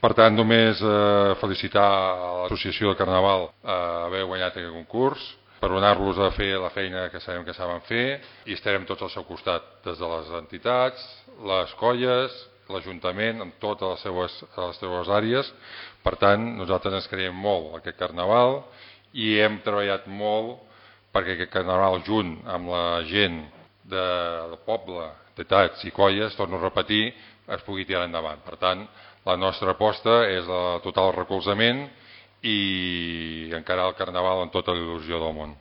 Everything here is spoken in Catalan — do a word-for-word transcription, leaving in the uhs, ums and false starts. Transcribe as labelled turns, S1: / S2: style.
S1: Per tant, només eh, felicitar l'Associació de Carnaval a haver guanyat aquest concurs, per donar-los a fer la feina que sabem que saben fer, i estarem tots al seu costat, des de les entitats, les colles, l'Ajuntament, en totes les seues, les seues àrees. Per tant, nosaltres ens creiem molt aquest Carnaval i hem treballat molt perquè aquest Carnaval, junt amb la gent de, del poble, entitats i colles, torno a repetir, es pugui tirar endavant. Per tant, la nostra aposta és el total recolzament i encarar el Carnaval amb tota la il·lusió del món.